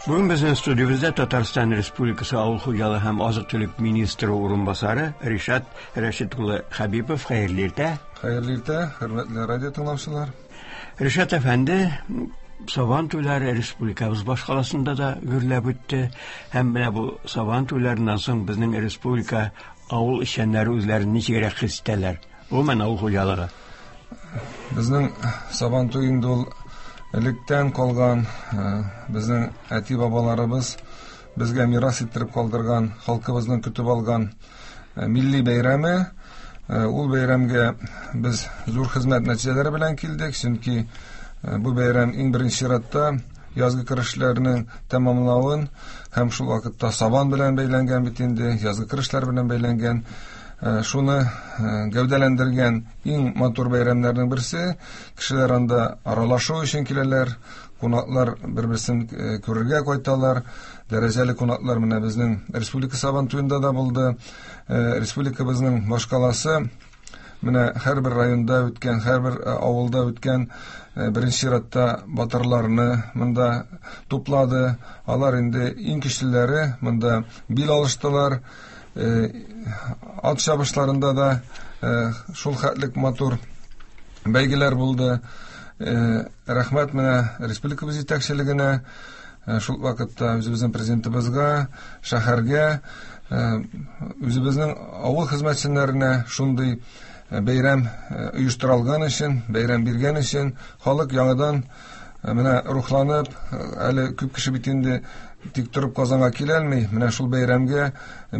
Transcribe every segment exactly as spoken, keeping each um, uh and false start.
Бүген безнең студиябездә Татарстан Республикасы Авыл хуҗалыгы һәм азык-төлек министры урынбасары Ришат Рәшит улы Хәбипов. Хәерле иртә. Хәерле иртә, хөрмәтле радио тыңлаучылар. Ришат әфәнде, Сабан туйлары республикабыз башкаласында да гөрләп үтте. Һәм менә бу Сабан туйларыннан соң безнең республика авыл эшчәннәре үзләрен ничегрәк хис итәләр? Гомумән, авыл хуҗалыгы. Безнең Сабан туй инде ул электән калган, безнең әти-бабаларыбыз безгә мирас иттереп калдырган, халкыбызның көтеп алган милли бәйрәме. Ул бәйрәмгә без зур хезмәт нәтиҗәләре белән килдек, чөнки бу бәйрәм иң беренче чиратта язгы көрәшләрнең тәмамлавын һәм шул вакытта сабан белән бәйләнгән бит инде, язгы көрәшләр белән бәйләнгән, шуны гәүдәләндергән иң матур бәйрәмнәрнең берсе. Кешеләр анда аралашу өчен киләләр, кунаклар бер-берсен күрергә кайталар. Дәрәҗәле кунаклар менә безнең республика Сабан туенда да булды. Республикабызның башкаласы менә һәрбер районда үткән, һәрбер авылда үткән беренче чиратта батырларны монда туплады. Алар инде иң көчлеләре монда бил алыштылар. Ат чабышларында да шул хәтлек матур бәйгеләр булды. Рәхмәт менә республикабыз җитәкчелегенә, шул вакытта үзебезнең президентыбызга, шәһәргә, үзебезнең авыл хезмәтчеләренә шундый бәйрәм оештырылган өчен, бәйрәм биргән өчен. Халык яңадан менә рухланып, әле күп кеше бит инде тик торып Казанга килә алмый. Менә шул бәйрәмгә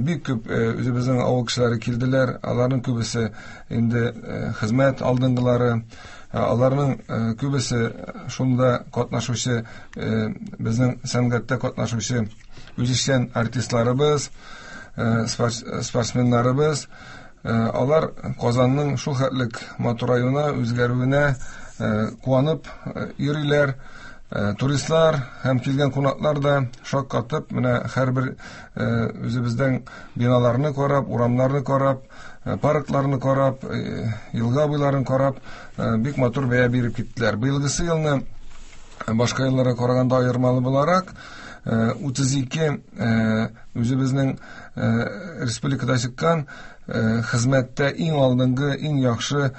бик күп үзебезнең авыл кешеләре килделәр. Аларның күбесе инде хезмәт алдынгылары, аларның күбесе шунда катнашучы, безнең сәнгатьтә катнашучы үзешчән артистларыбыз, спортсменнарыбыз. Алар Казанның шул хәтлек матураюына, үзгәрүенә куанып йөриләр. Туристлар һәм килгән кунаклар да шаккатып, менә һәрбер үзебездән биналарны карап, урамнарны карап, паркларны карап, елга буйларын карап, бик матур бәя биреп киттеләр. Быелгысы елны башка елларга караганда аермалы буларак, утыз ике үзебезнең республикада чыккан хезмәттә иң алдынгы, иң яхшы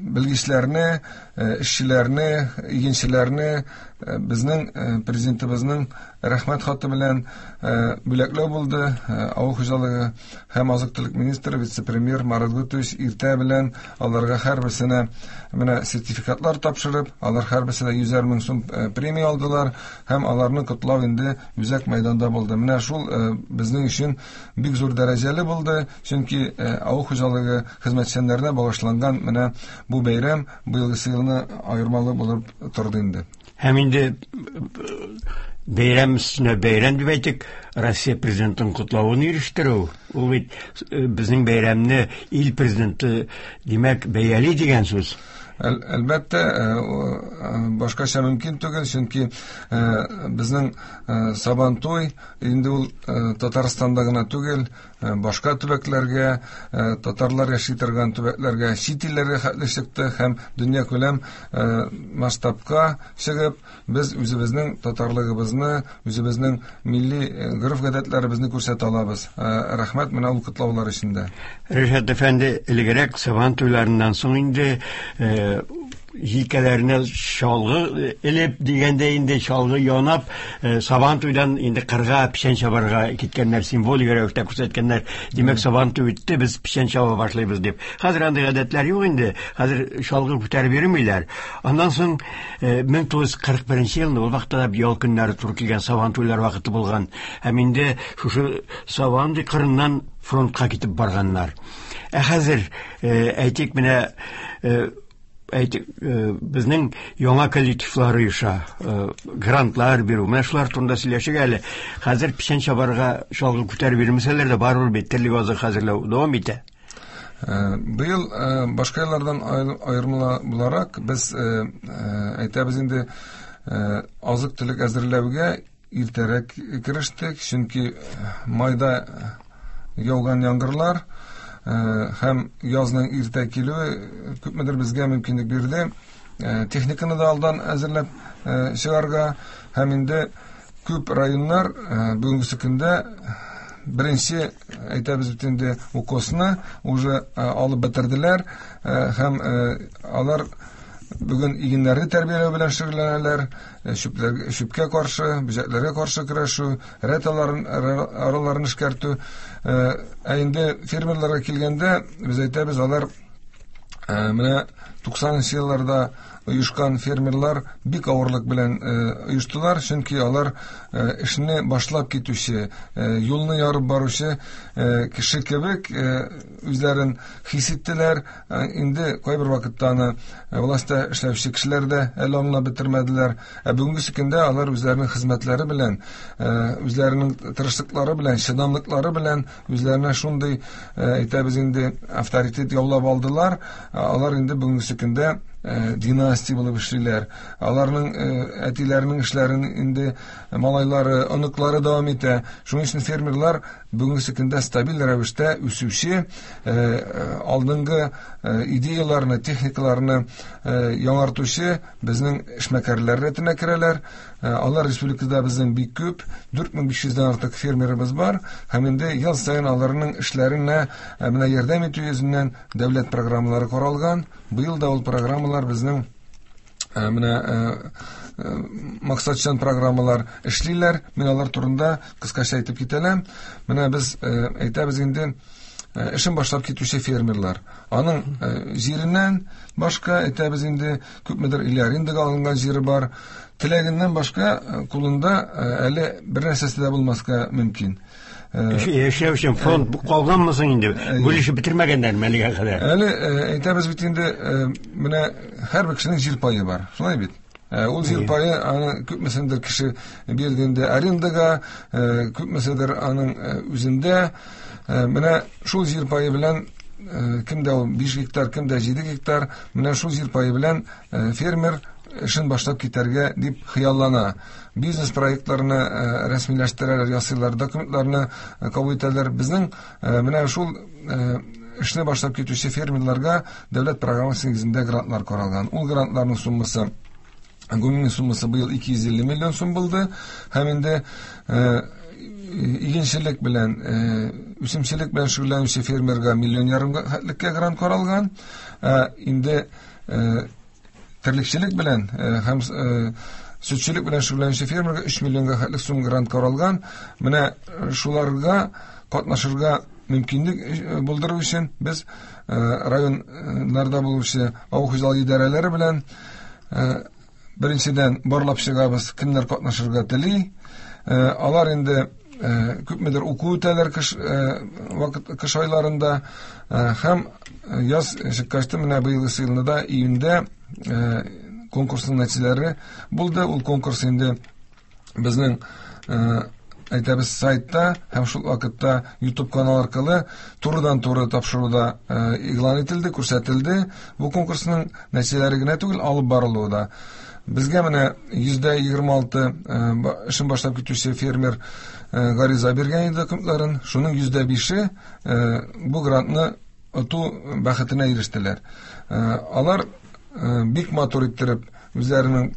белгечләрне, эшчеләрне, игенчеләрне безнең президентыбызның рәхмәт хаты белән бүләкләү булды. Авыл хуҗалыгы һәм азык-төлек министры, вице-премьер Марат Гутович иртә белән аларга һәрберсенә менә сертификатлар тапшырып, алар һәрберсенә йөзәр мең сум премия алдылар һәм аларны котлау инде үзәк мәйданда булды. Менә шул безнең өчен бик зур дәрәҗәле булды, чөнки авыл хуҗалыгы хезмәтчәннәренә багышланган менә бу бәйрәм быелгысы елны аермалы булып торды инде. Һәм инде бәйрәм өстенә бәйрәм дип әйтик, Россия президентының котлавын ирештерү, ул бит безнең бәйрәмне ил президенты, димәк, бәяли дигән сүз. Әлбәттә, башкача мөмкин түгел, чөнки безнең Сабантуй инде ул Татарстанда гына түгел, башка төбәкләргә, татарлар яши торган төбәкләргә, чит илләргә хәтле чыкты һәм дөньякүләм масштабка чыгып, без үзебезнең татарлыгыбызны, үзебезнең милли гореф-гадәтләребезне күрсәтә алабыз. Рәхмәт менә ул котлаулар өчен дә. Ришат әфәнде, элегрәк Сабан туйларыннан соң инде җилкәләренә чалгы элеп дигәндә инде чалгы янап, Сабан туйдан инде кырга печән чабарга киткәннәр, символик рәвештә күрсәткәннәр. Димәк, Сабан туй үтте, без печән чаба башлыйбыз дип. Хәзер андый гадәтләр юк инде. Хәзер чалгы күтәреп йөрмиләр. Аннан соң мең тугыз йөз кырык беренче елны ул вакытта да ял көннәре туры килгән Сабан туйлар вакыты булган. Һәм инде шушы Сабан туй кырыннан фронтка китеп барганнар. Ә хәзер, әйтик, менә әйтик, безнең яңа коллективлар оеша, грантлар бирү, менә шулар турында сөйләшик әле. Хәзер печән чабарга чалгы күтәреп йөрмәсәләр дә, барыбер бит терлек азыгы хәзерләү дәвам итә. Быел башка еллардан аермалы буларак без әйтәбез инде, азык-төлек әзерләүгә иртәрәк керештек, чөнки майда яуган яңгырлар һәм язның иртә килүе күпмедер безгә мөмкинлек бирде техниканы да алдан әзерләп чыгарга һәм инде Күп районнар бүгенге көндә беренче, әйтәбез бит инде, укосны уже алып бетерделәр һәм алар бүген игеннәрне тәрбияләү белән шөгыльләнәләр, чүпкә каршы, бөҗәкләргә каршы көрәшү, рәт араларын эшкәртү. Ә инде фермерларга килгәндә, без әйтәбез, алар менә туксанынчы елларда оешкан фермерлар бик авырлык белән оештылар, чөнки алар эшне башлап китүче, юлны ярып баручы кеше кебек үзләрен хис иттеләр. Инде кайбер вакытта аны властьта эшләүче кешеләр дә әле аңлап бетермәделәр. Ә бүгенге көндә алар үзләренең хезмәтләре белән, үзләренең тырышлыклары белән, чыдамлыклары белән үзләренә шундый, әйтәбез инде, авторитет яулап алдылар. Алар инде бүгенге көндә династия булып эшлиләр. Аларның әтиләренең эшләрен инде малайлары, оныклары дәвам итә. Шуның өчен фермерлар бүгенге көндә стабиль рәвештә үсүче, алдынгы идеяларны, техникаларны яңартучы безнең эшмәкәрләр рәтенә керәләр. Алар республикада безнең бик күп, дүрт мең биш йөздән артык фермерыбыз бар һәм инде ел саен аларның эшләренә менә ярдәм итү йөзеннән дәүләт программалары каралган. Быел да ул программалар безнең менә максатчан программалар эшлиләр. Мин алар турында кыскача әйтеп китәләм. Менә без әйтәбез инде, эшен башлап китүче фермерлар. Аның җиреннән башка, әйтәбез инде, күпмедер или арендага алынган җире бар. Теләгеннән башка кулында әле бер нәрсәсе дә булмаска мөмкин. Эшләү өчен фонд калганмы соң инде? Бүлешеп бетермәгәннәрме әлегә кадәр? Әле әйтәбез бит инде, менә һәрбер кешенең җир пае бар. Шулай бит? Ул җир пае аны күпмесендер кеше бирде инде арендага, күпмеседер аның үзендә. Менә шул җир пае белән кемдә ул биш гектар, кемдә җиде гектар, менә шул җир пае белән фермер эшен башлап китәргә дип хыяллана. Бизнес проектларны рәсмиләштерәләр, ясыйлар, документларны кабул итәләр. Безнең менә шул эшне башлап китүче фермерларга дәүләт программасы нигезендә грантлар каралган. Ул грантларның суммасы, гомуми суммасы быел ике йөз илле миллион сум булды. Һәм инде игенчелек белән, үсемчелек белән шөгыльләнүче фермерга миллион ярым хәтлеккә грант каралган. Инде терлекчелек белән һәм сөтчелек белән шөгыльләнүче фермерга өч миллионга хәтлек сум грант каралган. Менә шуларга катнашырга мөмкинлек булдыру өчен без районнарда булучы авыл хуҗалыгы идарәләре белән беренчедән барлап чыгабыз, кемнәр катнашырга тели. Алар инде күпмедер уку үтәләр кыш вакыт, кыш айларында һәм яз чыккач менә быелгы елны да июньдә конкурсның нәтиҗәләре булды. Ул конкурс инде безнең әйтәбез сайтта һәм шул вакытта YouTube канал аркылы турыдан-туры тапшыруда игълан ителде, күрсәтелде. Бу конкурсның нәтиҗәләре генә түгел, алып барылуы да. Безгә менә йөздә егерме алты эшен башлап китүче фермер гариза биргән иде документларын. Шуның йөздә бише бу грантны оту бәхетенә ирештеләр. Алар бик матур иттереп үзләренең,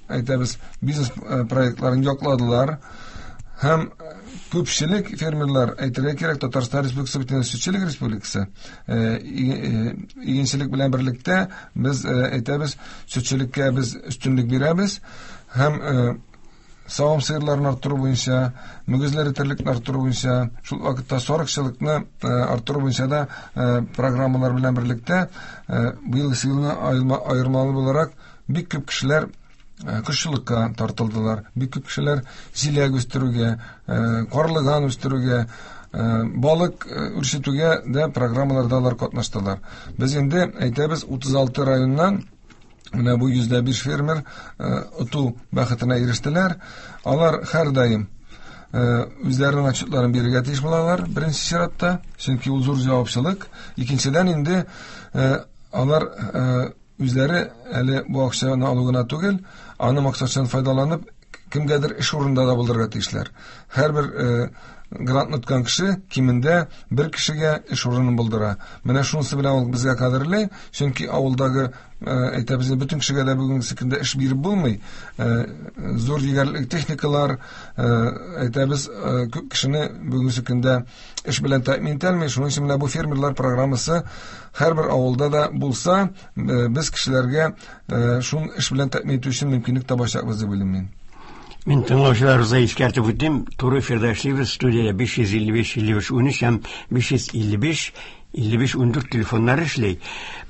әйтәбез, бизнес проектларын якладылар. Һәм күпчелек фермерлар, әйтергә кирәк, Татарстан Республикасы бит сөтчелек республикасы. Игенчелек белән берлектә без әйтәбез, сөтчелеккә без өстенлек бирәбез һәм савым сыерларын арттыру буенча, мөгезле терлекне арттыру буенча, шул вакытта сарыкчылыкны арттыру буенча да программалар белән берлектә быелгы елны аермалы буларак бик күп кешеләр кошчылыкка тартылдылар, бик күп кешеләр җиләк үстерүгә, карлыган үстерүгә, балык үрчетүгә дә программаларда алар катнаштылар. Без инде әйтәбез, утыз алты районнан менә бу йөздә биш фермер оту бәхетенә ирештеләр. Алар һәрдаим үзләренең отчетларын бирергә тиеш булалар, беренче чиратта, чөнки ул зур җавапчылык. Икенчедән инде алар үзләре әле бу акчаны алу гына түгел, аны максатчан файдаланып, Кемгәдер эш урында да булдырырга тиешләр. Һәрбер грантны откан кеше кимендә бер кешегә эш урынын булдыра. Менә шунысы белән ул безгә кадерле, чөнки авылдагы әйтәбез, бөтен кешегә дә бүгенге көндә эш биреп булмый. Зур егәрлек техникалар, әйтәбез, күп кешене бүгенге көндә эш белән тәэмин итә алмый. Шуның өчен менә бу фермерлар программасы һәрбер авылда да булса, без кешеләргә шул эш белән тәэмин итү өчен мөмкинлек табачакбыз дип уйлыйм мин. Мин тыңлаучыларыбызга искәртеп үтим, туры эфирда эшлибез, студияда биш йөз илле биш илле биш унөч һәм биш йөз илле биш илле биш ундүрт телефоннары эшли.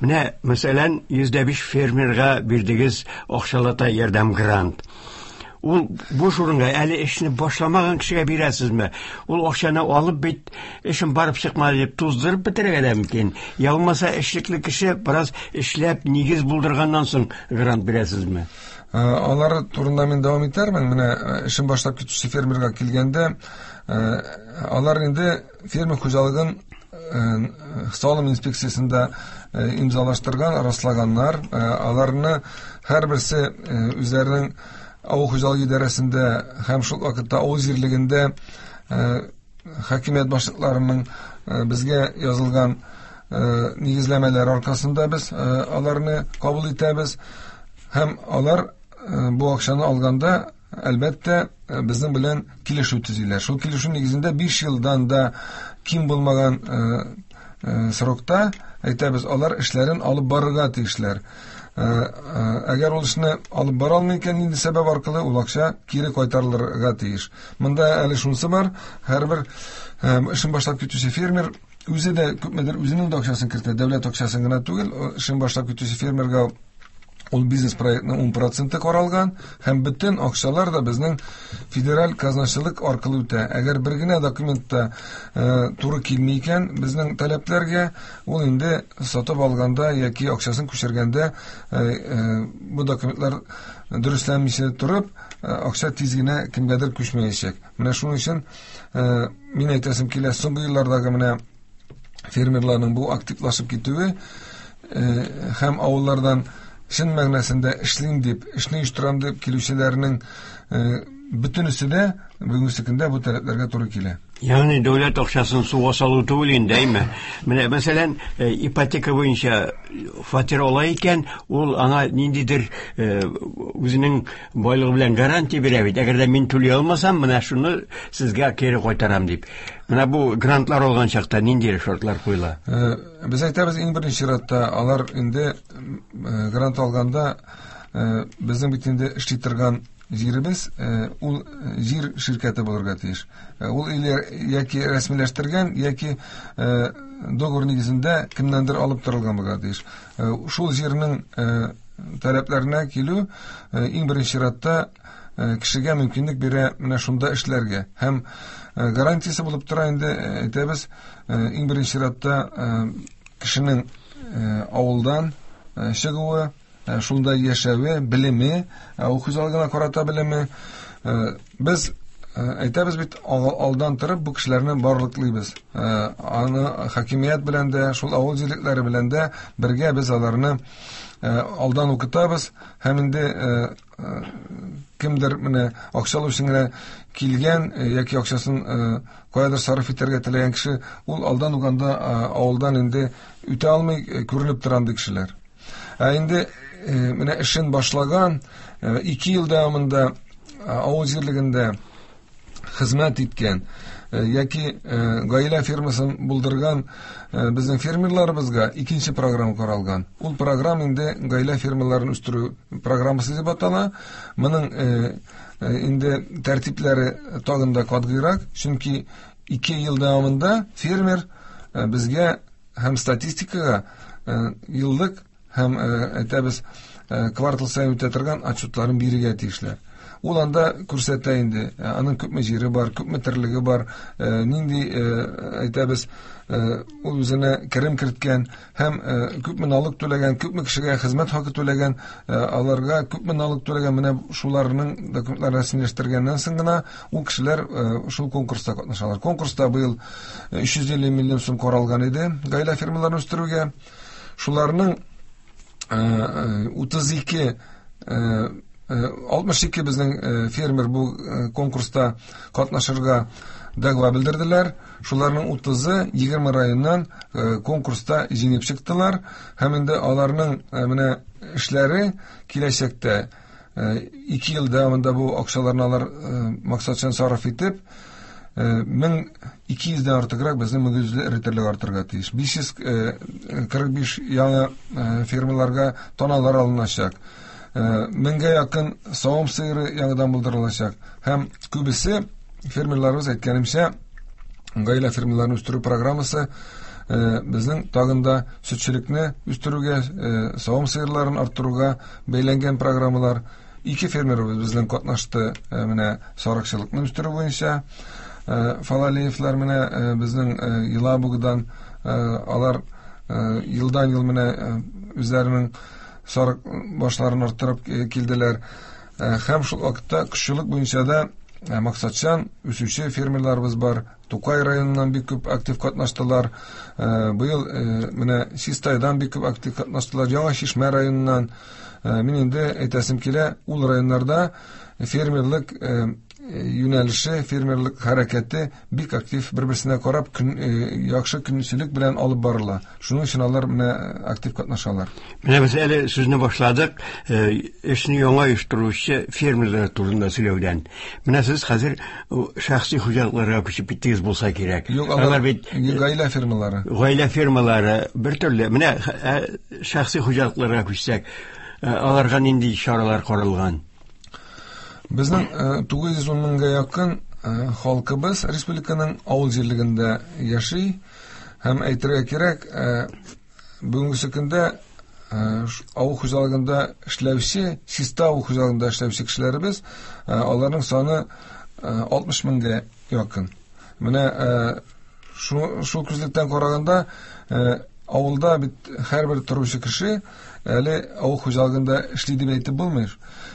Менә, мәсәлән, йөз дә биш фермерга бирдегез акчалата ярдәм грант. Ул буш урынга әле эшне башламаган кешегә бирәсезме? Ул акчаны алып бит, эшем барып чыкмады дип туздырып бетерергә дә мөмкин. Я булмаса эшлекле кеше бераз эшләп нигез булдырганнан соң грант бирәсезме? Алар турында мин дәвам итәрмен. Менә эшен башлап китүче фермерга килгәндә, алар инде фермер хуҗалыгын салым инспекциясендә имзалаштырган, раслаганнар. Аларны һәрберсе үзләренең авыл хуҗалыгы идарәсендә һәм шул вакытта авыл җирлегендә хакимият башлыкларының безгә язылган нигезләмәләр аркасында без аларны кабул итәбез. Һәм алар бу акчаны алганда, әлбәттә, безнең белән килешү төзиләр. Шул килешү нигезендә биш елдан да ким булмаган срокта, әйтәбез, алар эшләрен алып барырга тиешләр. Әгәр ул эшне алып бара алмый икән, нинди сәбәп аркылы ул акча кире кайтарылырга тиеш. Монда әле шунысы бар, һәрбер эшен башлап китүче фермер үзе дә күпмедер үзенең дә акчасын кертә, дәүләт акчасын гына түгел, эшен башлап китүче фермерга ул бизнес проектның ун проценты каралган, һәм бөтен акчалар да безнең федераль казначылык аркылы үтә. Әгәр бер генә документта туры килми икән безнең таләпләргә, ул инде сатып алганда яки акчасын күчергәндә бу документлар дөресләнмичә торып, акча тиз генә кемгәдер күчмәячәк. Менә шуның өчен мин әйтәсем килә, соңгы еллардагы менә фермерларның бу активлашып китүе һәм авыллардан чын мәгънәсендә эшлим дип, эшне оештырам дип килүчеләрнең бөтенесе дә бүгенге көндә бу таләпләргә туры килә. Ягъни дәүләт акчасын суга салу түгел инде, әйме? Менә мәсәлән, ипотека буенча фатир ала икән, ул аңа ниндидер үзенең байлыгы белән гарантия бирә бит. Әгәр дә мин түли алмасам, менә шуны сезгә кире кайтарам дип. Менә бу грантлар алган чакта нинди шартлар куела? Без әйтәбез, иң беренче чиратта алар инде грант алганда безнең бит инде эшли торган җиребез, ул җир ширкәте булырга тиеш. Ул яки рәсмиләштергән, яки договор нигезендә кемнәндер алып торылган булырга тиеш. Шул җирнең таләпләренә килү иң беренче чиратта кешегә мөмкинлек бирә менә шунда эшләргә. Һәм гарантиясе булып тора инде, әйтәбез, иң беренче чиратта кешенең авылдан чыгуы, шунда яшәве, белеме, авыл хуҗалыгына карата белеме. Без әйтәбез бит, алдан торып бу кешеләрне барлыклыйбыз. Аны хакимият белән дә, шул авыл җирлекләре белән дә бергә без аларны алдан укытабыз. Һәм инде кемдер менә акча алу өчен генә килгән яки акчасын каядыр сарыф итәргә теләгән кеше, ул алдан ук анда авылдан инде үтә алмый, күренеп тора андый кешеләр. Ә инде менә эшен башлаган, ике ел дәвамында авыл җирлегендә хезмәт иткән яки гаилә фермасын булдырган безнең фермерларыбызга икенче программа каралган. Ул программа инде гаилә фермаларын үстерү программасы дип атала. Моның инде тәртипләре тагын да катгыйрак, чөнки ике ел дәвамында фермер безгә һәм статистикага еллык һәм әйтәбез квартал саен үтә торган отчетларын бирергә тиешләр. Ул анда күрсәтә инде, аның күпме җире бар, күпме терлеге бар, нинди әйтәбез, ул үзенә керем керткән һәм күпме налог түләгән, күпме кешегә хезмәт хакы түләгән, аларга күпме налог түләгән, менә шуларның документларын рәсмиләштергәннән соң гына ул кешеләр шул конкурста катнашалар. Конкурста быел өч йөз илле миллион сум каралган иде гаилә фермаларын үстерүгә. Шуларның утыз ике алтмыш ике безнең фермер бу конкурста катнашырга дәгъва белдерделәр. Шуларның утызы егерме районнан конкурста җиңеп чыктылар. Һәм инде аларның менә эшләре киләчәктә ике ел дәвамында бу акчаларны алар максатчан сарыф итеп, мең ике йөздән артыграк безнең мөгезле эре терлек артырга тиеш. Биш йөз кырык биш яңа фермаларга таналар алыначак. Меңгә якын савым сыеры яңадан булдырылачак. Һәм күбесе фермерларыбыз, әйткәнемчә, гаилә фермаларын үстерү программасы безнең тагын да сөтчелекне үстерүгә, савым сыерларын арттыруга бәйләнгән программалар. Ике фермерыбыз безнең катнашты менә сарыкчылыкны үстерү буенча. Фалалиевлар менә безнең Елабугадан, алар елдан ел менә үзләренең сарык башларын арттырып килделәр. Һәм шул вакытта кошчылык буенча да максатчан үсүче фермерларыбыз бар. Тукай районыннан бик күп актив катнаштылар. Быел менә Чистайдан бик күп актив катнаштылар. Яңа Чишмә районыннан. Мин инде әйтәсем килә, ул районнарда фермерлык юнәлеше, фермерлык хәрәкәте бик актив, бер-берсенә карап, яхшы көнчелек белән алып барыла. Шуның өчен алар менә актив катнашалар. Менә без әле сүзне башладык, эшне яңа оештыручы фермерлар турында сөйләүдән. Менә сез хәзер шәхси хуҗалыкларга күчеп киттегез булса кирәк. Юк, алар бит гаилә фермалары. Гаилә фермалары бер төрле. Менә шәхси хуҗалыкларга күчсәк, аларга нинди чаралар каралган? Безнең тугыз йөз ун меңгә якын халкыбыз республиканың авыл җирлегендә яши. Һәм әйтергә кирәк, бүгенге көндә авыл хуҗалыгында эшләүче, чиста авыл хуҗалыгында эшләүче кешеләребез, аларның саны алтмыш меңгә якын. Менә шул күзлектән караганда, авылда бит һәрбер торучы кеше әле авыл хуҗалыгында эшли дип әйтеп булмый.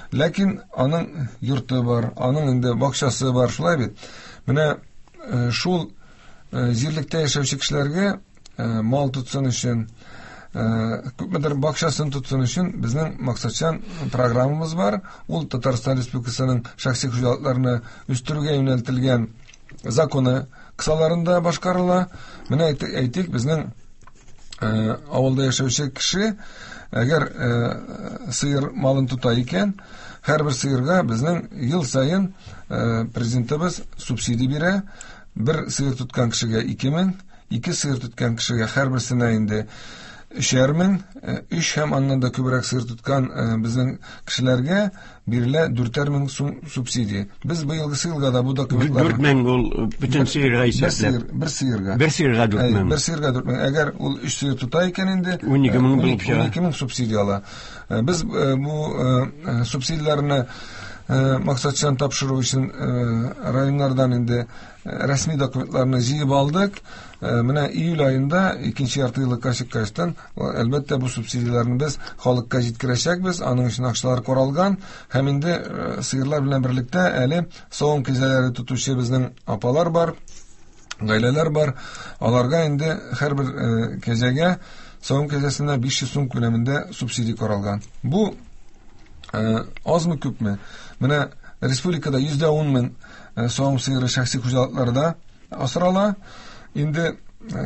Ләкин аның йорты бар, аның инде бакчасы бар, шулай бит. Менә шул җирлектә яшәүче кешеләргә мал тотсын өчен, күпмедер бакчасын тотсын өчен безнең максатчан программабыз бар. Ул Татарстан Республикасының шәхси хуҗалыкларны үстерүгә юнәлтелгән законы кысаларында башкарыла. Менә әйтик, безнең авылда яшәүче кеше әгәр сыер малын тота икән, һәрбер сыерга безнең ел саен президентыбыз субсидия бирә. Бер сыер тоткан кешегә ике мең, ике сыер тоткан кешегә һәрберсенә инде өчәр мең, өч һәм аннан да күбрәк сыер тоткан безнең кешеләргә бирелә дүртәр мең сум субсидия. Без быелгы елга да бу документлар. Дүрт мең ул бөтен сыерга исәпләп. Бер сыерга. Бер сыерга дүрт мең. Бер сыерга дүрт мең. Әгәр ул өч сыер тота икән инде, ун ике мең булып чыга. Ун ике мең субсидия ала. Без бу субсидияләрне максатчан тапшыру өчен районнардан инде рәсми документларны җыеп алдык. Менә июль аенда икенче ярты еллыкка чыккачтан, әлбәттә, бу субсидияләрне без халыкка җиткерәчәкбез. Аның өчен акчалар каралган. Һәм инде сыерлар белән берлектә әле савым кәҗәләре тотучы безнең апалар бар, гаиләләр бар. Аларга инде һәрбер кәҗәгә, савым кәҗәсенә биш йөз сум күләмендә субсидия каралган. Бу азмы күпме? Менә республикада йөз дә ун мең савым сыеры шәхси хуҗалыкларда асрала. Инде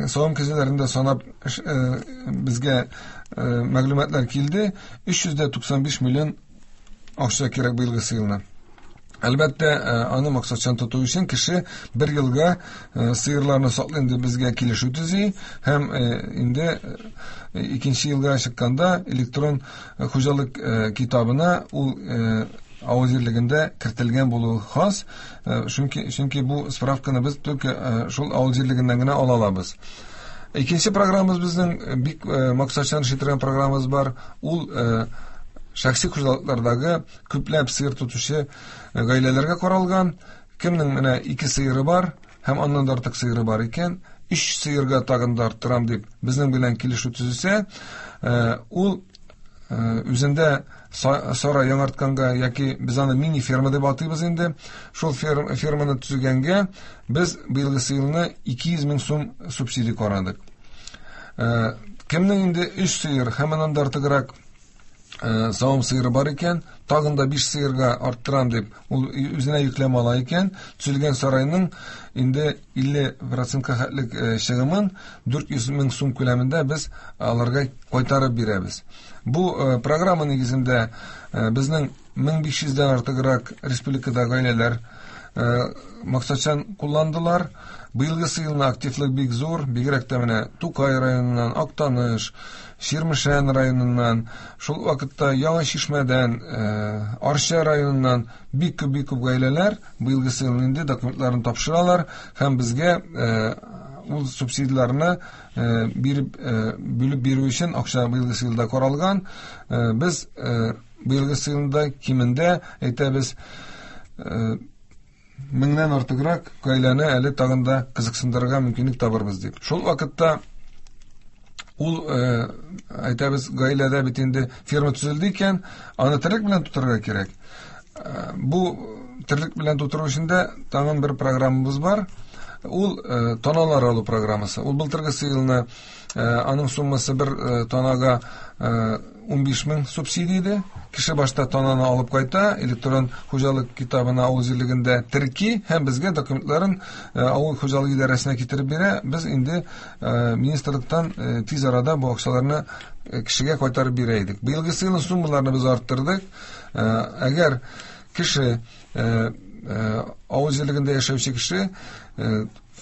савым кәҗәләрен дә санап безгә мәгълүматлар килде. Өч йөз дә туксан биш миллион акча кирәк быелгы елына. Әлбәттә, аны максатчан тоту өчен кеше бер елга сыерларны саклыйм дип безгә килешү төзи һәм инде икенче елга чыкканда электрон хуҗалык китабына ул авыл җирлегендә кертелгән булуы хас. Чөнки, чөнки бу справканы без только шул авыл җирлегеннән генә ала алабыз. Икенче программабыз безнең бик максатчан эшли торган программабыз бар. Ул шәхси хуҗалыклардагы күпләп сыер тотучы гаиләләргә каралган. Кемнең менә ике сыеры бар һәм аннан да артык сыеры бар икән, өч сыерга тагын да арттырам дип безнең белән килешү төзесә, ул үзендә сарай яңартканга яки без аны мини ферма дип атыйбыз инде, шул ферманы төзегәнгә без быелгы елны ике йөз мең сум субсидия карадык. Кемнең инде өч сыер һәм аннан да артыграк савым сыеры бар икән, тагын да биш сыерга арттырам дип, ул үзенә йөкләмә ала икән, төзелгән сарайның инде илле процентка хәтлек чыгымын дүрт йөз мең сум күләмендә без аларга кайтарып бирәбез. Бу программа нигезендә безнең мең биш йөздән артыграк республикада гаиләләр максатчан кулландылар. Быелгысы елны активлык бик зур, бигрәк тә менә Тукай районыннан, Актаныш, Чирмешән районыннан, шул вакытта Яңа Чишмәдән, Арча районыннан бик күп бик күп гаиләләр быелгысы елны инде документларын тапшыралар һәм безгә ул субсидияләрне биреп бүлеп бирү өчен акча быелгысы елда каралган. Без быелгысы елда кимендә әйтәбез меңнән артыграк гаиләне әле тагын да кызыксындырырга мөмкинлек табырбыз дип. Шул вакытта ул әйтәбез гаиләдә бит инде ферма төзелде икән, аны терлек белән тутырырга кирәк. Бу терлек белән тутыру өчен дә тагын бер программабыз бар. Ул таналар алу программасы. Ул былтыргысы елны аның суммасы бер танага унбиш мең субсидия иде. Кеше башта тананы алып кайта, электрон хуҗалык китабына авыл җирлегендә терки һәм безгә документларын авыл хуҗалыгы идарәсенә китереп бирә. Без инде министрлыктан тиз арада бу акчаларны кешегә кайтарып бирә идек. Быелгысы елны суммаларны без арттырдык. Әгәр кеше авыл җирлегендә яшәүче кеше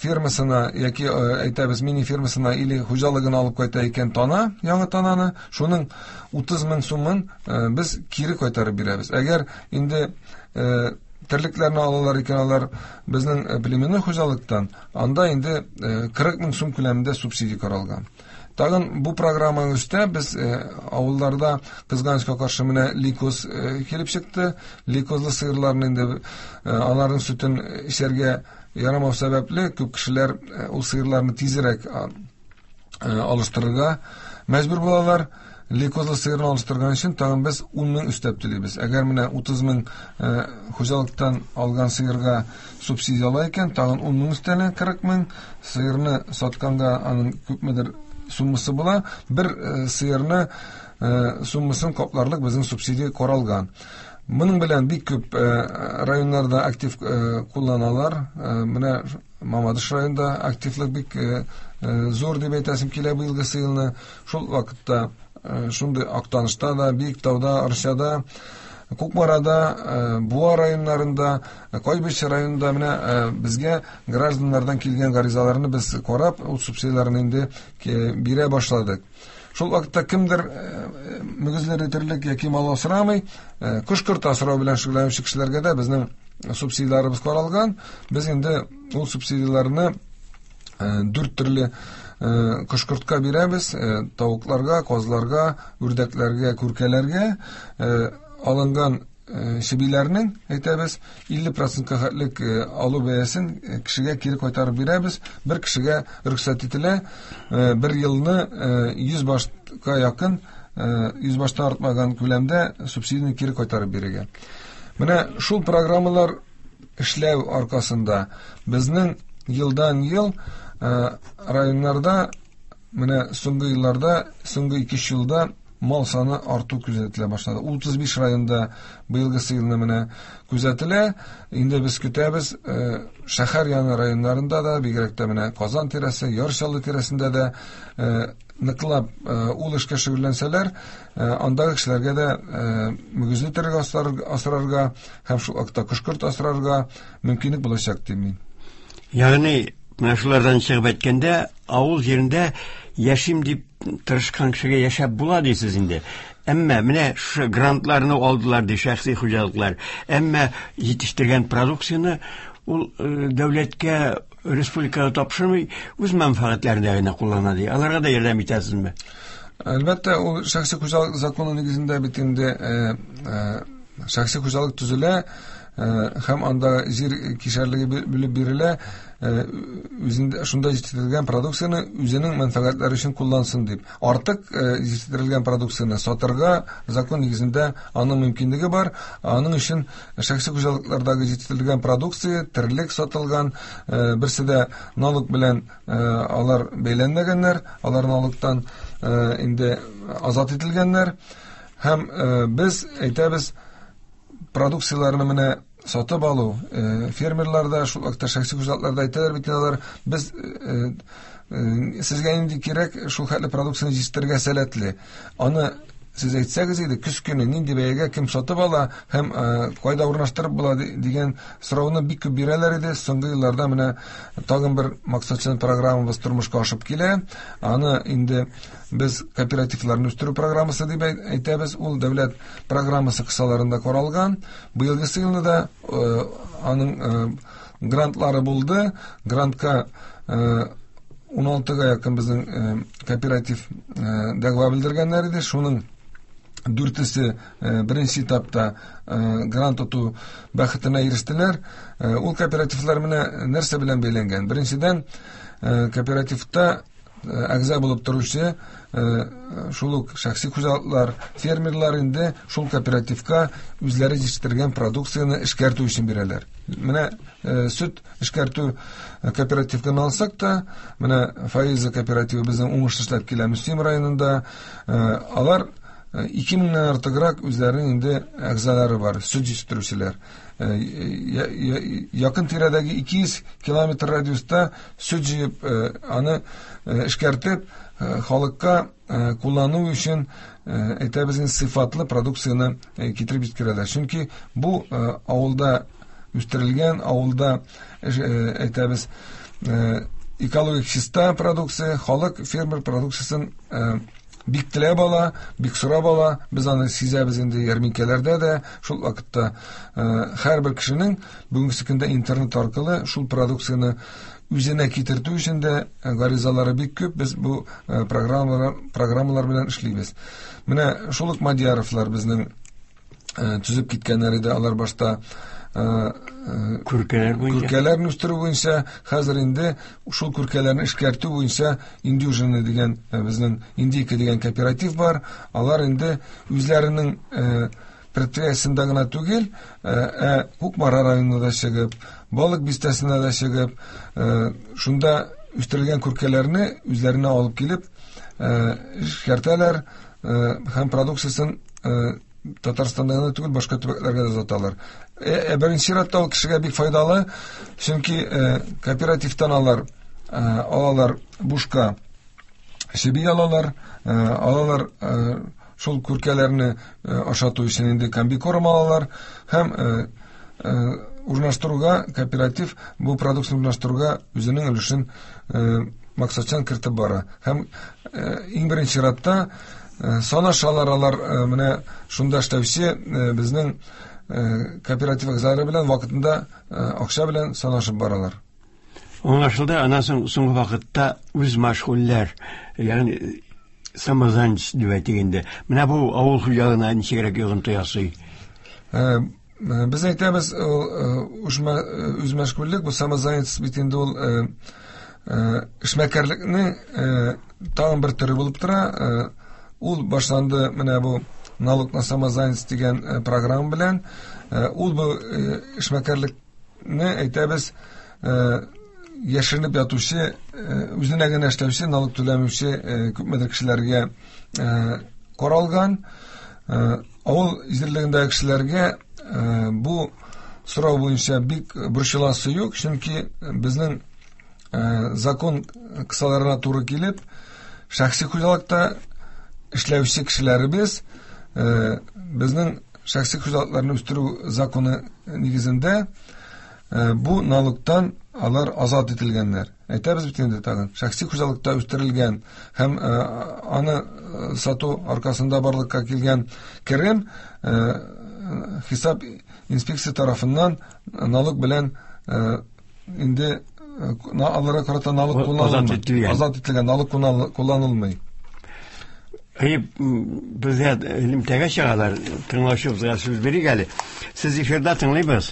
фермасына яки әйтәбез мини фермасына или хуҗалыгына алып кайта икән тана, яңа тананы, шуның утыз мең сумын без кире кайтарып бирәбез. Әгәр инде терлекләрне алалар икән, алар безнең племенной хуҗалыктан, анда инде кырык мең сум күләмендә субсидия каралган. Тагын бу программаның өстә без авылларда кызганычка каршы менә лейкоз килеп чыкты. Лейкозлы сыерларны инде аларның сөтен эчәргә ярамау сәбәпле күп кешеләр ул сыерларны тизрәк алыштырырга мәҗбүр булалар. Лейкозлы сыерны алыштырган өчен тагын без ун мең өстәп түлибез. Әгәр менә утыз мең хуҗалыктан алган сыерга субсидия ала икән, тагын ун мең өстәлә, кырык мең. Сыерны сатканга аның күпмедер суммасы була. Бер сыерны суммасын капларлык безнең субсидия каралган. Моның белән бик күп районнарда актив кулланалар. Менә Мамадыш районында активлык бик зур дип әйтәсем килә быелгысы елны. Шул вакытта шундый Актанышта да, Биектауда, Арчада, Кукмарада, Буа районнарында, Кайбыч районында менә безгә гражданнардан килгән гаризаларны без карап, ул субсидияләрне инде бирә башладык. Шул вакытта кемдер мөгезле терлек яки мал асрамый, кош-корт асрау белән шөгыльләнүче кешеләргә дә безнең субсидияләребез каралган. Без инде ул субсидияләрне дүрт төрле кош-кортка бирәбез: тавыкларга, казларга, үрдәкләргә, күркәләргә. Алынган чебиләрнең, әйтәбез, илле процентка хәтлек алу бәясен кешегә кире кайтарып бирәбез. Бер кешегә рөхсәт ителә бер елны йөз башка якын, йөз баштан артмаган күләмдә субсидияне кире кайтарып бирергә. Менә шул программалар эшләү аркасында безнең елдан ел районнарда менә соңгы елларда, соңгы ике елда мал саны арту күзәтелә башлады. утыз биш районда быелгысы елны менә күзәтелә. Инде без көтәбез, шәһәр яны районнарында да, бигрәк тә менә Казан тирәсе, Яр Чаллы тирәсендә дә ныклап ул эшкә шөгыльләнсәләр, андагы кешеләргә дә мөгезле терлек асрарга һәм шул вакытта кош-корт асрарга мөмкинлек булачак дим мин. Ягъни менә шулардан чыгып әйткәндә, авыл җирендә яшим дип тырышкан кешегә яшәп була дисез инде. Әмма менә шушы грантларны алдылар ди шәхси хуҗалыклар. Әмма җитештергән продукцияне ул дәүләткә, республикага тапшырмый, үз мәнфәгатьләрендә генә куллана ди. Аларга да ярдәм итәсезме? Әлбәттә, ул шәхси хуҗалык законы нигезендә бит инде шәхси хуҗалык төзелә һәм анда җир кишәрлеге бүлеп бирелә, үзендә шунда җитештерелгән продукцияне үзенең мәнфәгатьләре өчен куллансын дип. Артык җитештерелгән продукцияне сатырга закон нигезендә аның мөмкинлеге бар. Аның өчен шәхси хуҗалыклардагы җитештерелгән продукция, терлек сатылган, берсе дә налог белән алар бәйләнмәгәннәр, алар налогтан инде азат ителгәннәр. Һәм без әйтәбез, продукцияләрне менә сатып алу, фермерлар да, шул вакытта шәхси хуҗалыклар да әйтәләр бит алар, без сезгә нинди кирәк, шул хәтле продукцияне җитештерергә сәләтле. Аны сез әйтсәгез иде, көз көне нинди бәягә кем сатып ала һәм кайда урнаштырып була дигән сорауны бик күп бирәләр иде. Соңгы елларда менә тагын бер максатчан программабыз тормышка ашып килә. Аны инде без кооперативларны үстерү программасы дип әйтәбез. Ул дәүләт программасы кысаларында каралган. Быелгысы елны да аның грантлары булды. Грантка ун алтыга якын безнең кооператив дәгъва белдергәннәр иде. Шуның дүртесе беренче этапта грант оту бәхетенә ирештеләр. Ул кооперативлар менә нәрсә белән бәйләнгән? Беренчедән, кооперативта әгъза булып торучы шул ук шәхси хуҗалыклар, фермерлар инде шул кооперативка үзләре җитештергән продукцияне эшкәртү өчен бирәләр. Менә сөт эшкәртү кооперативын алсак та, менә Фаиза кооперативы безнең уңышлы эшләп килә Мөслим районында. Алар ике меңнән артыграк үзләренең инде әгъзалары бар, сөт җитештерүчеләр. Якын тирәдәге ике йөз километр радиуста сөт җыеп, аны эшкәртеп, халыкка куллану өчен, әйтәбез инде, сыйфатлы продукцияне китереп җиткерәләр. Чөнки бу авылда үстерелгән, авылда, әйтәбез, экологик чиста продукция, халык фермер продукциясын бик теләп ала, бик сорап ала. Без аны сизәбез инде ярминкәләрдә дә. Шул вакытта һәрбер кешенең бүгенге көндә интернет аркылы шул продукцияне үзенә китертү өчен дә гаризалары бик күп. Без бу программалар, программалар белән эшлибез. Менә шул ук Мадияровлар безнең төзеп киткәннәр иде. Алар башта күркәләр буенча, күркәләрне үстерү буенча, хәзер инде шул күркәләрне эшкәртү буенча Индюжина дигән безнең Индийка дигән кооператив бар. Алар инде үзләренең предприятиесендә генә түгел, ә Кукмара районына да чыгып, Балык бистәсенә дә чыгып, шунда үстерелгән күркәләрне үзләренә алып килеп эшкәртәләр һәм продукциясен Татарстанда гына түгел, башка төбәкләргә дә озаталар. Ә беренче чиратта ул кешегә бик файдалы, чөнки кооперативтан алар алалар бушка чеби алалар, алалар шул күркәләрне ашату өчен инде комбикорм алалар һәм урнаштыруга кооператив бу продукцияне урнаштыруга үзенең өлешен максатчан кертеп бара. Һәм иң беренче чиратта санашалар алар, менә шунда эшләүче безнең кооператив әгъзалары белән вакытында акча белән санашып баралар. Аңлашылды. Аннан соң соңгы вакытта үз мәшгульләр, ягъни самозанятость дип әйтик инде. Менә бу авыл хуҗалыгына ничегрәк йогынты ясый? Без әйтәбез, үз мәшгульлек, бу самозанятость бит инде ул эшмәкәрлекнең тагын бер төре булып тора. Ул башланды менә бу налог на самозанятость дигән программа белән. Ул бу эшмәкәрлекне әйтәбез, яшеренеп ятучы, үзенә генә эшләүче, налог түләмәүче күпмедер кешеләргә каралган. Авыл җирлегендәге кешеләргә бу сорау буенча бик борчыласы юк, чөнки безнең закон кысаларына туры килеп, шәхси хуҗалыкта эшләүче кешеләребез безнең шәхси хуҗалыкларны үстерү законы нигезендә бу налогтан алар азат ителгәннәр. Әйтәбез бит инде тагын, шәхси хуҗалыкта үстерелгән һәм аны сату аркасында барлыкка килгән керем хисап инспекция тарафыннан налог белән инде аларга карата налог кулланылмый. Азат ителгән налог кулланылмый. Әйе, безгә элемтәгә чыгалар, тыңлаучыбызга сүз бирик әле. Сез эфирда тыңлыйбыз.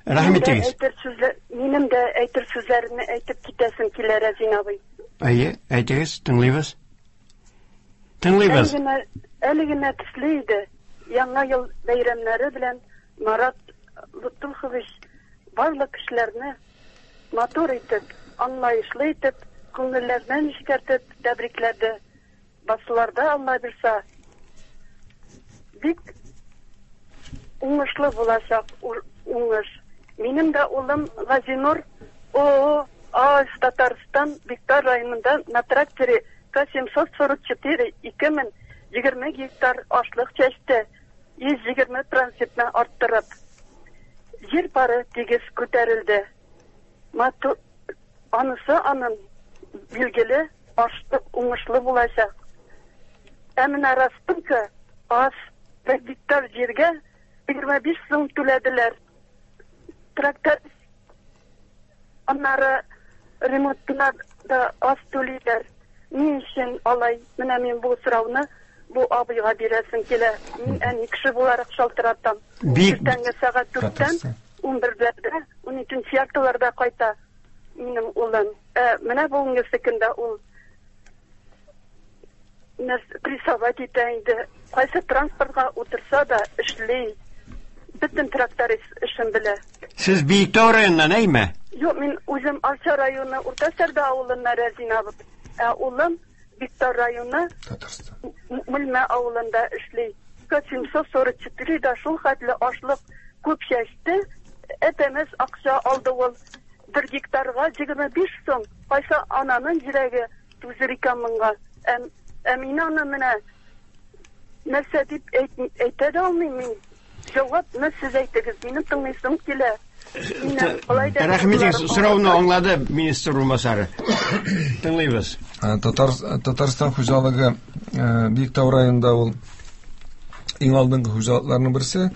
Рәхмәт итегез. Минем дә әйтер сүзләрне әйтеп китәсем килә, Рәзин абый. Әйе, әйтегез, тыңлыйбыз. Тыңлыйбыз. Әле генә төсле иде. Яңа ел бәйрәмнәре белән Марат Лутухович барлык кешеләрне матур итеп, аңлаешлы итеп, күңелләреннән нечкәртеп тәбрикләде. Басуларда Алла бирсә, Бик уңышлы булачак уңыш. Минем дә улым Газинур ООО АЭС Татарстан Биктау районында на тракторе К семьсот сорок четыре ике мең егерме гектар ашлык чәчте, йөз егерме процентны арттырып. Җир пары тигез күтәрелде. Матур, анысы аның билгеле ашлык уңышлы булачак. Ә менә расценка аз, бер гектар җиргә егерме биш сум түләделәр. Трактор аннары ремонтына да аз түлиләр. Ни өчен алай? Менә мин бу сорауны бу абыйга бирәсем килә. Мин әни кеше буларак шалтыратам. Иртәнге сәгать дүрттән унберләрдә, уникенче яртыларда кайта минем улым. Ә менә бүгенге көндә ул прессовать итә инде. Кайсы транспортка утырса да эшли. Бөтен тракторист эшен белә. Сез Биектау районыннан, әйме? Юк, мин үзем Арча районы Урта Сәрдә авылыннан Рәзинә. Ә улым Биектау районы Татарстан Мүлмә авылында эшли. К семьсот сорок четыре да шул хәтле ашлык күп чәчте, әтәмәс акча алды ул. Бер гектарга егерме биш сум. Кайсы ананың йөрәге түзер икән моңа? Ә мин аны менә нәрсә дип әйтә дә алмыйм мин. Җавапны сез әйтегез, минем тыңлыйсым килә. Рәхмәт, сорауны аңлады министр урынбасары. Тыңлыйбыз. Татар, Татарстан хуҗалыгы Биектау районында ул иң алдынгы хуҗалыкларның берсе.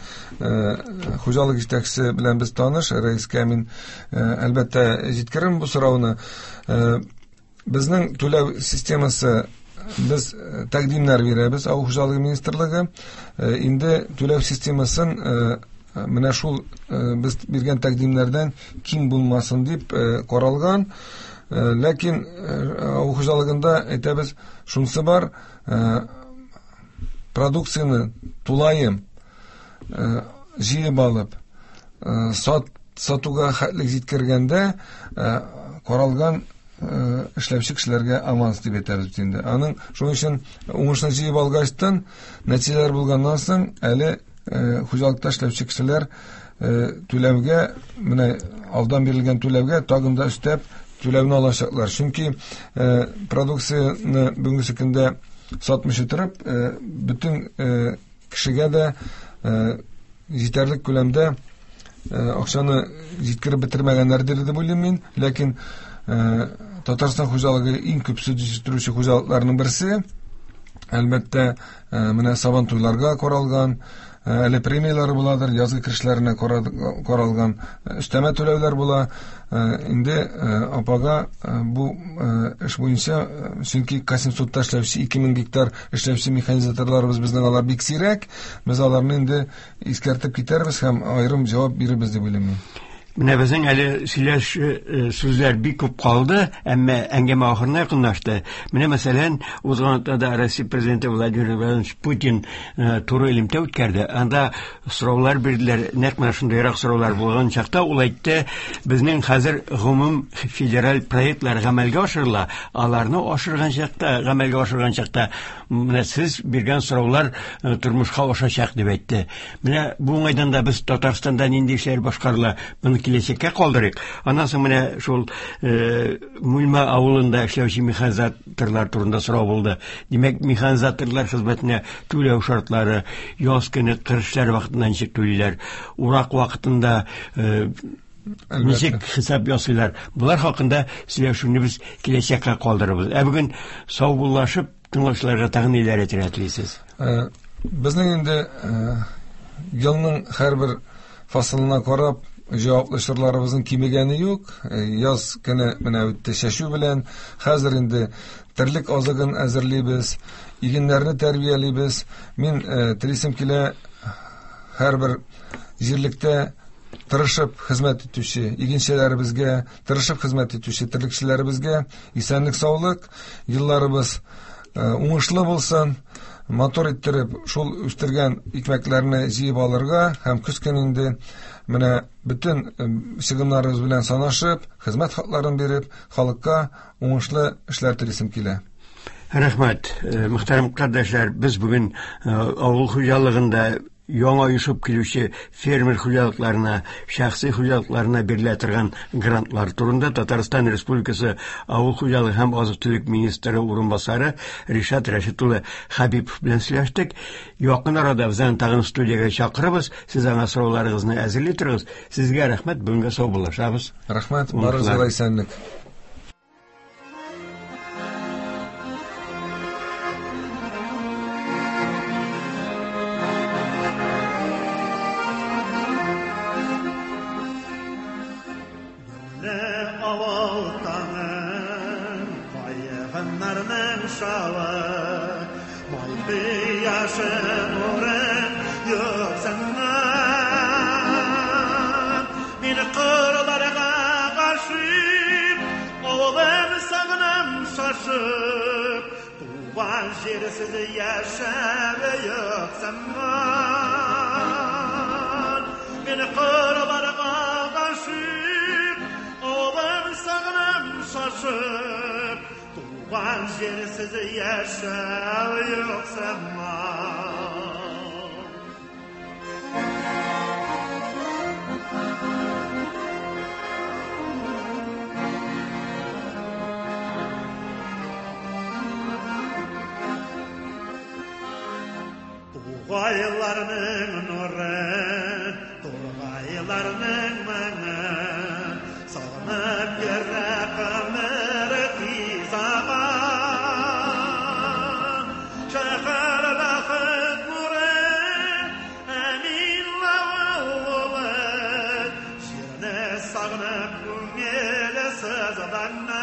Хуҗалык җитәкчесе белән без таныш, рәискә мин әлбәттә җиткерәм бу сорауны. Безнең түләү системасы, без тәкъдимнәр бирәбез Авыл хуҗалыгы министрлыгы. Инде түләү системасын менә шул без биргән тәкъдимнәрдән ким булмасын дип каралган. Ләкин авыл хуҗалыгында әйтәбез, шунысы бар, продукцияне тулаем җыеп алып сат сатуга хәтлек җиткергәндә каралган эшләүче кешеләргә аванс дип әйтәбез инде. Аның шуның өчен уңышны җыеп алгачтан, нәтиҗәләр булганнан соң әле хуҗалыкта эшләүче кешеләр түләүгә, менә алдан бирелгән түләүгә тагын да өстәп түләүне алачаклар. Чөнки продукцияне бүгенге көндә сатмыйча торып, бөтен кешегә дә җитәрлек күләмдә акчаны җиткереп бетермәгәннәрдер дип уйлыйм мин. Ләкин Татарстан хуҗалыгы иң күп сөт җитештерүче хуҗалыкларның берсе. Әлбәттә, менә сабан туйларга каралган, әле премияләр буладыр, язгы керешләренә каралган өстәмә түләүләр була. Инде апага бу эш буенча, чөнки К семьсотта эшләүче ике мең гектар эшләүче механизаторларыбыз безнең алар бик сирәк. Без аларны инде искәртеп китәрбез һәм аерым җавап бирербез дип уйлыйм мин. Менә безнең әле сөйләш сүзләр бик күп калды, әмма әңгәмә ахырына якынлашты. Менә мәсәлән, узган атнада Россия президенты Владимир Владимирович Путин туры элемтә үткәрде. Анда сораулар бирделәр, нәкъ менә шундыйрак сораулар булган чакта ул әйтте, безнең хәзер гомум федераль проектлар гамәлгә ашырыла. Аларны ашырган чакта, гамәлгә ашырган чакта менә сез биргән сораулар тормышка ашачак дип әйтте. Менә бу уңайдан да без Татарстанда нинди эшләр башкарыла, моны киләчәккә калдырыйк. Аннан соң менә шул Мүлмә авылында эшләүче механизаторлар турында сорау булды. Димәк, механизаторлар хезмәтенә түләү шартлары, яз көне кыр эшләре вакытында ничек түлиләр, урак вакытында ничек хисап ясыйлар. Булар хакында сөйләшүне без киләчәккә калдырабыз. Ә бүген саубуллашып тыңлаучыларга тагын ниләр әйтергә телисез? Безнең инде елның һәрбер фасылына карап җаваплы чорларыбызның кимегәне юк. Яз көне менә үтте чәчү белән. Хәзер инде терлек азыгын әзерлибез, игеннәрне тәрбиялибез. Мин телисем килә һәрбер җирлектә тырышып хезмәт итүче игенчеләребезгә, тырышып хезмәт итүче терлекчеләребезгә исәнлек, саулык, елларыбыз уңышлы булсын, матур иттереп шул үстергән икмәкләрне җыеп алырга һәм көз көне инде менә бөтен чыгымнарыбыз белән санашып, хезмәт хакларын биреп, халыкка уңышлы эшләр телисем килә. Рәхмәт, мөхтәрәм кардәшләр, без бүген авыл хуҗалыгында яңа оешып килүче фермер хуҗалыкларына, шәхси хуҗалыкларына бирелә торган грантлар турында Татарстан Республикасы Авыл хуҗалыгы һәм азык-төлек министры урынбасары Ришат Рәшит улы Хәбипов белән сөйләштек. Якын арада без аны тагын студиягә чакырабыз. Сез аңа сорауларыгызны әзерли торыгыз. Сезгә рәхмәт, бүгенгә саубуллашабыз. Рәхмәт, барыгызга да исәнлек. Тугайларның нуры, тургайларның моңы, сагынып йөрәк гомер тиз ага. Шәһәр бәхет нуры, әмин авылы, җирне сагынып күңел сызлана.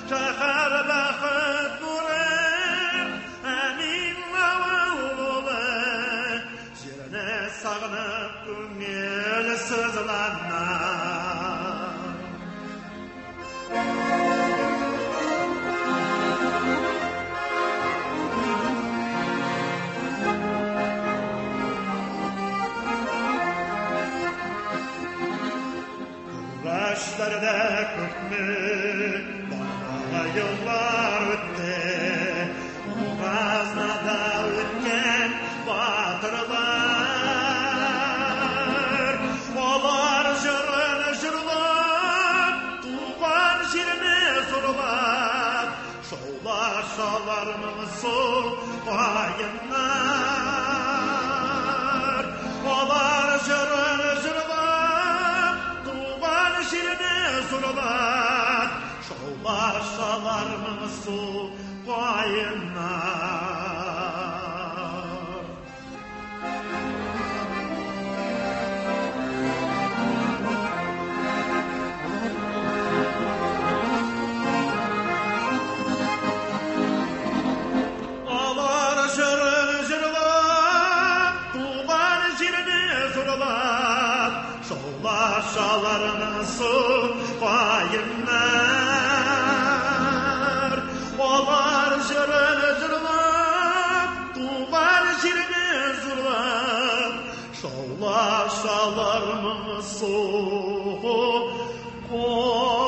Шәһәр бәхет нуры, сагынып күңел сызлана. Kuraşlarda күпме дала еллар үтте, Газнада үткән батырлар. Алар җырын җырлап, туган җирне зурлап, шаулашалар моңсу каеннар. Алар җырын җырлап, туган җирне зурлап, шаулашалар моңсу каеннар. Шаулашаларның су каеннар. Алар җырын җырлап, туган җирне зурлап, шаулашалар моңсу каеннар.